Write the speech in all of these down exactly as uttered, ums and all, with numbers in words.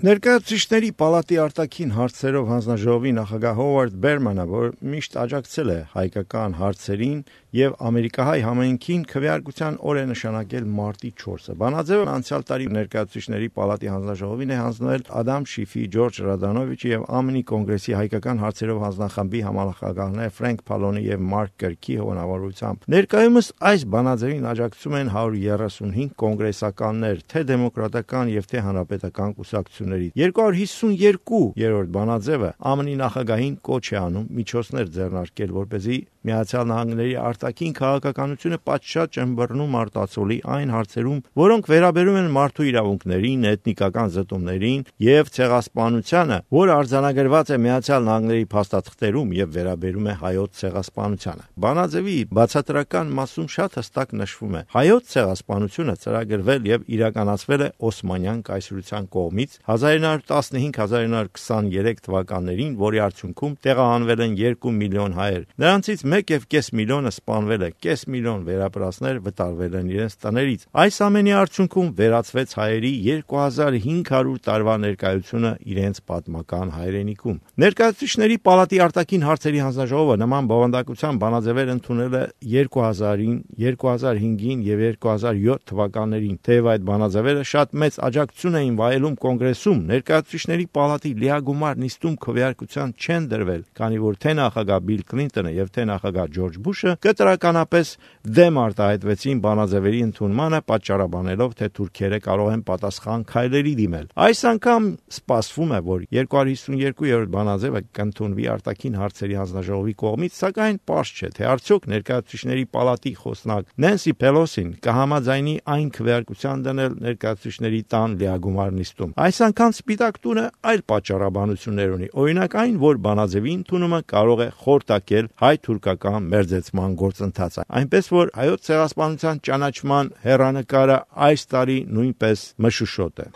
Ներկայացուցիչների պալատի արտաքին հարցերով հանձնաժողովի նախագահ Հովարդ Բերմանը, որ միշտ աջակցել է հայկական հարցերին եւ ամերիկահայ համայնքին, քվեարկության օր է նշանակել մարտի չորսը։ Բանաձևը անցյալ տարի Ներկայացուցիչների պալատի հանձնաժողովին է հանձնվել Ադամ Շիֆի, Ջորջ Ռադանովիչի եւ ԱՄՆ-ի կոնգրեսի հայկական հարցերով հանձնախմբի համանախագահներ Ֆրենկ Փալոնի եւ Մարկ Կրքի հովանավորությամբ։ Ներկայումս այս բանաձևին աջակցում են հարյուր երեսունհինգ կոնգրեսականներ, թե դեմոկրատական եւ թե հանրապետական կուսակցություններից։ երկու հարյուր հիսունյոթ երրորդ բանաձևը ԱՄՆ-ի նախագահին կոչ է անում միջոցներ ձեռնարկել, որպեսզի Միացյալ Նահանգների արտաքին քաղաքականությունը պատշաճ ըմբռնում արտացոլի այն հարցերում, որոնք վերաբերում են մարդու իրավունքներին, էթնիկական զտումներին եւ ցեղասպանությանը, որը արձանագրված է Միացյալ Նահանգների փաստաթղթերում եւ վերաբերում է հայոց ցեղասպանությանը։ Բանաձևի բացատրական մասում շատ հստակ նշվում է. հայոց ցեղասպանությունը ծրագրվել եւ իրականացվել է Օսմանյան կայսրության կողմից հազար ինը հարյուր տասնհինգ հազար ինը հարյուր քսաներեք թվականներին, որի արդյունքում տեղահանվել են երկու միլիոն հայեր։ Նրանցից մեկ եւ կես միլիոնը սպանվել է, կես միլիոն վերապրածներ վտարվել են իրենց տներից։ Այս ամենի արդյունքում վերացվեց հայերի երկու հազար հինգ հարյուր տարվա ներկայությունը իրենց պատմական հայրենիքում։ Ներկայացուցիչների պալատի արտաքին հարցերի հանձնաժողովը նման բովանդակության բանաձևեր ընդունել է երկու հազարին, երկու հազար հինգին եւ երկու հազար յոթ թվականներին։ Թեև այդ բանաձևերը շատ մեծ աջակցություն էին վայելում կոնգրեսում, Ներկայացուցիչների պալատի լիագումար նիստում քվեարկության չեն դրվել, քանի որ թե նախագահ Բիլ Քլինտոնը եւ թե նախագահ Ջորջ Բուշը կտրականապես դեմ արտահայտվեցին բանաձևերի ընդունմանը, պատճառաբանելով, թե թուրքերը կարող են պատասխան քայլերի դիմել։ Այս անգամ սպասվում է, որ երկու հարյուր հիսունյոթ երրորդ բանաձևը կընդունվի արտաքին հարցերի հանձնաժողովի կողմից, սակայն պարզ չէ, թե արդյոք Ներկայացուցիչների պալատի խոսնակ Նենսի Փելոսին կհամաձայնի այն քվեարկության դնել Ներկայացուցիչների տան լիագումար նիստում։ Այս անգամ Սպիտակ տունը այլ պատճառաբանություններ ունի, օրինակ այն, որ բանաձևի ընդունումը կարող է խորտակել հայ-թուրքական մերձեցման գործընթացը, այնպես որ հայոց ցեղասպանության ճանաչման հեռանկարը այս տարի նույնպես մշուշոտ է։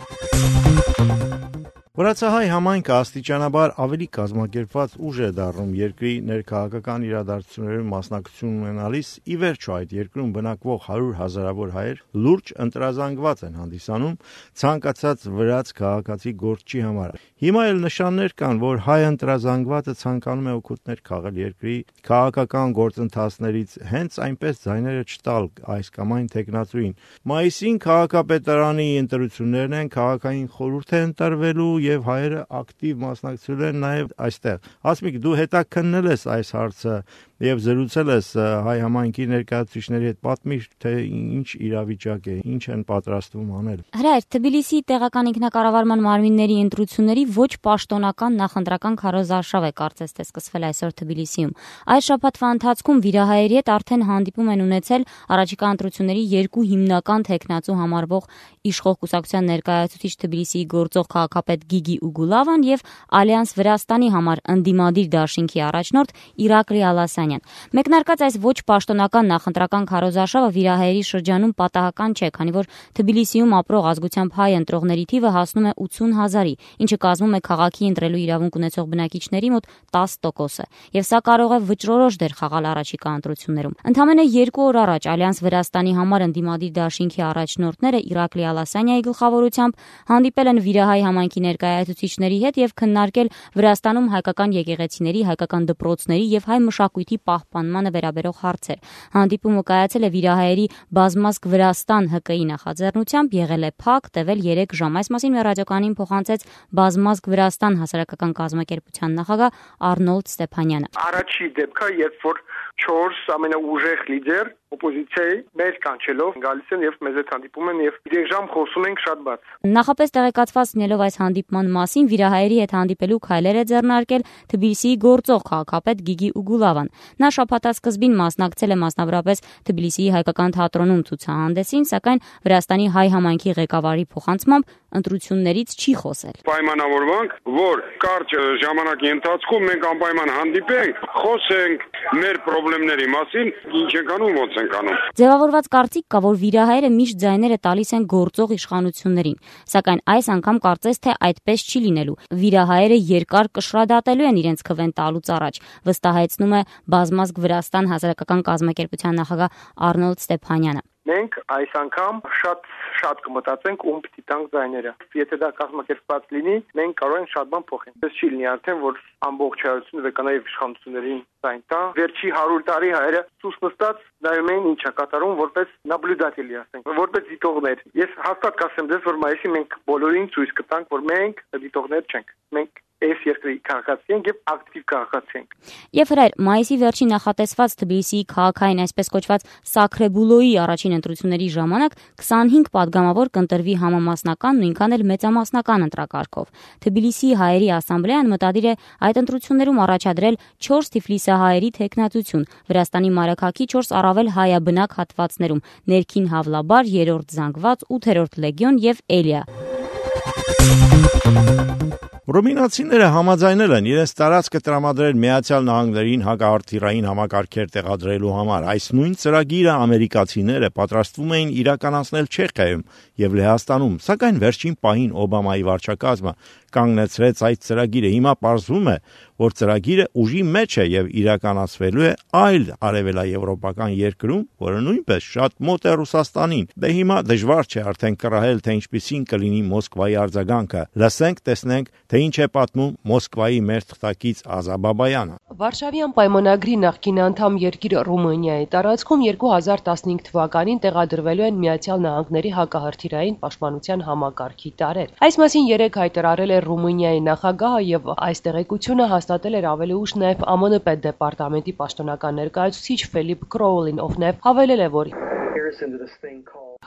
Վրացահայ համայնքը աստիճանաբար ավելի կազմակերպված ուժ է դառնում երկրի ներքաղաքական իրադարձություններում մասնակցություն ունենալիս, ի վերջո այդ երկրում բնակվող հարյուր հազարավոր հայեր լուրջ ընտրազանգված են հանդիսանում ցանկացած վրաց քաղաքացի գործչի համար։ Հիմա էլ նշաններ կան, որ հայ ընտրազանգվածը ցանկանում է օգուտներ քաղել երկրի քաղաքական գործընթացներից, հենց այնպես ձայները չտալ այս կամ այն թեկնածուին։ Մայիսին քաղաքապետարանի ընտրություններն են, քաղաքային խորհուրդ է ընտրվելու եւ հայերը ակտիվ մասնակցել են նաեւ այստեղ։ Ասմիկ, դու հետաքննել ես այս հարցը եւ զրուցել ես հայ համայնքի ներկայացուցիչների հետ, պատմիր, թե ինչ իրավիճակ է, ինչ են պատրաստվում անել։ Հրայր, Թբիլիսիի տեղական ինքնակառավարման մարմինների ընտրությունների ոչ պաշտոնական նախընտրական քարոզարշավ է կարծես թե սկսվել այսօր Թբիլիսիում։ Այս շաբաթվա ընթացքում վիրահայերի հետ արդեն հանդիպում են ունեցել առաջիկա ընտրությունների երկու հիմնական թեկնածու համարվող իշխող կուսակցության ներկայացուցիչ Թբիլիսիի գործող քաղաքապետ Գիգի Ուգուլավան եւ Ալյանս Վրաստանի համար ընդդիմադիր դաշինքի առաջնորդ Իրակլի Ալասանյան։ Մեկնարկած այս ոչ պաշտոնական նախընտրական քարոզարշավը վիրահայերի շրջանում պատահական չէ, քանի որ Թբիլիսիում ապրող ազգությամբ հայ ընտրողների թիվը հասնում է ութսուն հազարի, ինչը կազմում է քաղաքի ընտրելու իրավունք ունեցող բնակիչների մոտ տասը տոկոսը, եւ սա կարող է վճռորոշ դեր խաղալ առաջիկա ընտրություններում։ Ընդամենը երկու օր առաջ Ալյանս Վրաստանի համար ընդդիմադիր դաշինքի առաջնորդները Իրակլի Ալասանյայի գլխավորությամբ հանդիպել են վիրահայ համայնքի ներկայացուցիչների հետ եւ քննարկել Վրաստանում հայկական եկեղեցիների, հայկական դպրոցների եւ հայ մշակույթի պահպանմանը վերաբերող հարցեր։ Հանդիպումը կայացել է վիրահայերի բազմազգ Վրաստան ՀԿ-ի նախաձեռնությամբ, եղել է փակ, տևել երեք ժամ։ Այս մասին մեր ռադիոկանին փոխանցեց բազմազգ Վրաստան հասարակական կազմակերպության նախագահ Արնոլդ Ստեփանյանը։ Առաջի դեպքը, երբ որ չորս ամենաուժեղ լիդեր օպոզիցիայի մեր կանչելով գալիս են եւ մեզ հետ հանդիպում են եւ երեք ժամ խոսում ենք շատ բաց։ Նախապես տեղեկացված լինելով այս հանդիպման մասին, վիրահայերի հետ հանդիպելու քայլեր է ձեռնարկել Թբիլիսիի գործող քաղաքապետ Գիգի Ուգուլավան։ Նա շաբաթասկզբին մասնակցել է մասնավորապես Թբիլիսիի հայկական թատրոնում ցուցահանդեսին, սակայն Վրաստանի հայ համայնքի ղեկավարի փոխանցմամբ ընտրություններից չի խոսել։ Պայմանավորվանք, որ կարճ ժամանակի ընթացքում մենք անպայման հանդիպենք, խոսենք մեր խնդիրների մասին, ինչ ենք անում, ոնց ենք անում։ Ձևավորված կարծիք կա, որ վիրահայերը միշտ ձայները տալիս են գործող իշխանություններին, սակայն այս անգամ կարծես թե այդպես չի լինելու։ Վիրահայերը երկար կշռադատելու են իրենց քվեն տալուց առաջ, վստահեցնում է բազմազգ Վրաստան հասարակական կազմակերպության նախագահ Արնոլդ Ստեփանյանը։ մենք այս անգամ շատ շատ կմտածենք ում պիտի տանք ձայները։ Եթե դա կազմակերպված լինի, մենք կարող ենք շատ բան փոխել։ Դες չի լինի արդեն, որ ամբողջայնությունը վեկանայի իշխանություններին ձայն տա։ Վերջի հարյուր տարի հայերը սուս նստած նայում էին ինչ է կատարում որպես նաբլյուդատելի, ասենք, որպես դիտողներ։ Ես հաստատ կասեմ դες, որ մայիսի մենք բոլորին ցույց կտանք, որ մենք դիտողներ չենք։ Մենք այս երկրի քաղաքացի ենք եւ ակտիվ քաղաքացի ենք։ Եվ հրայր, մայիսի վերջին նախատեսված Թբիլիսիի քաղաքային այսպես կոչված Սաքրեբուլոյի առաջին ընտրությունների ժամանակ քսանհինգ падգամավոր կընտրվի համամասնական, նույնքան էլ մեծամասնական ընտրակարգով։ Թբիլիսիի հայերի ասամբլեան մտադիր է այդ ընտրություններում առաջադրել չորս թիֆլիսահայերի թեկնածություն Վրաստանի մայրաքաղաքի չորս առավել հայաբնակ հատվածներում՝ Ներքին Հավլաբար, Երրորդ Զանգված, ութերորդ Լեգիոն եւ Էլիա։ Ռումինացիները համաձայնել են իրենց տարածքը տրամադրել Միացյալ Նահանգներին հակահարթիռային համակարգեր տեղադրելու համար։ Այս նույն ծրագիրը ամերիկացիները պատրաստվում էին իրականացնել Չեխիայում եւ Լեհաստանում, սակայն վերջին պահին Օբամայի վարչակազմը կանգնեցրեց այդ ծրագիրը։ Հիմա պարզվում է, որ ծրագիրը ուժի մեջ է եւ իրականացվելու է այլ արևելաեվրոպական երկրում, որը նույնպես շատ մոտ է Ռուսաստանին։ Դե հիմա դժվար չէ արդեն կռահել, թե ինչպիսին կլինի Մոսկվայի արձագանքը։ Լսենք, տեսնենք, թե ինչ է պատմում Մոսկվայի մեր թղթակից Ազա Բաբայանը։ Վարշավյան պայմանագրի նախկին անդամ երկիր Ռումինիայի տարածքում երկու հազար տասնհինգ թվականին տեղադրվելու են Միացյալ Նահանգների հակահարթիռային պաշտպանության համակարգի տարրեր։ Այս մասին երեկ հայտարարել է Ռումինիայի նախագահը եւ այս տեղեկությունը հաստատել էր ավելի ուշ նաեւ Ա Մ Ն պետդեպարտամենտի պաշտոնական ներկայացուցիչ Ֆիլիպ Քրոուլին, ով նաեւ հավելել է, որ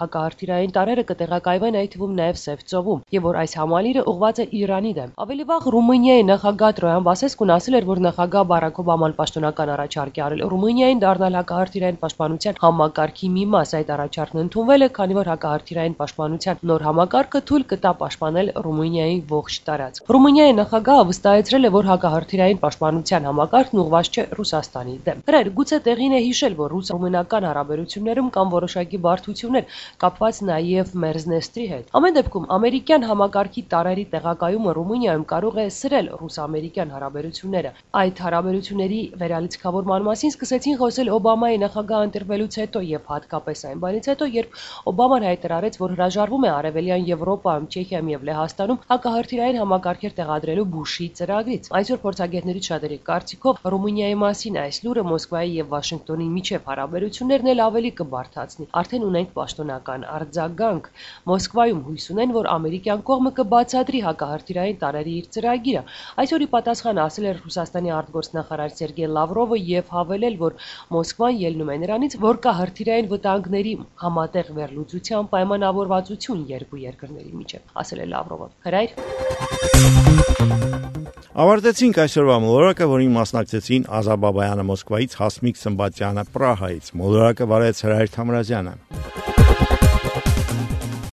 հակահարթիռային տարրերը կտեղակայվեն այդ թվում նաև Սև ծովում եւ որ այս համալիրը ուղղված է Իրանի դեմ։ Ավելի վաղ Ռումինիայի նախագահ Տրոյան Բասեսկուն ասել էր, որ նախագահ Բարակ Օբաման պաշտոնական առաջարկ է արել Ռումինիային դառնալ հակահարթիռային պաշտպանության համակարգի մի մաս։ Այդ առաջարկն ընդունվել է, քանի որ հակահարթիռային պաշտպանության նոր համակարգը թույլ կտա պաշտպանել Ռումինիայի ողջ տարածք։ Ռումինիայի նախագահը վստահեցրել է, որ հակահարթիռային պաշտպանության համակարգն ուղղված չէ Ռուսաստանի դեմ։ Հրեր, գուցե տեղին է հիշել, որ ռուս-ռումինական հարաբերություններում կան որոշակի բարդություններ կապված նաև Մերզնեստրի հետ։ Ամեն դեպքում ամերիկյան համակարգի տարրերի տեղակայումը Ռումինիայում կարող է սրել ռուս-ամերիկյան հարաբերությունները։ Այդ հարաբերությունների վերալիցքավորման մասին սկսեցին խոսել Օբամայի նախագահ ընտրվելուց հետո եւ հատկապես այն բանից հետո, երբ Օբաման հայտարարեց, որ հրաժարվում է Արևելյան Եվրոպայում, Չեխիայում եւ Լեհաստանում հակահարթիռային համակարգեր տեղադրելու Բուշի ծրագրից։ Այսօր փորձագետներից շատերի կարծիքով Ռումինիայի մասին այս լուրը Մոսկվայի եւ Վաշինգտոնի միջև հարաբերություններն էլ ավելի կբարդացնի։ Արդեն ունենք պաշտոնական արձագանք։ Մոսկվայում հույս ունեն, որ ամերիկյան կողմը կբացատրի հակահարթիռային տարրերի իր ծրագիրը։ Այսօրի պատասխան ասել էր Ռուսաստանի արտգործնախարար Սերգեյ Լավրովը եւ հավելել, որ Մոսկվան ելնում է նրանից, որ կա հրթիռային վտանգների համատեղ վերլուծության պայմանավորվածություն երկու երկրների միջև, ասել է Լավրովը։ Հրայր Ավարտեցինք այսօրվա մոլորակը, որին մասնակցեցին Ազա Բաբայանը Մոսկվայից, Հասմիկ Սմբատյանը Պրահայից։ Մոլորակը վարեց Հրայր Թամրազյանը։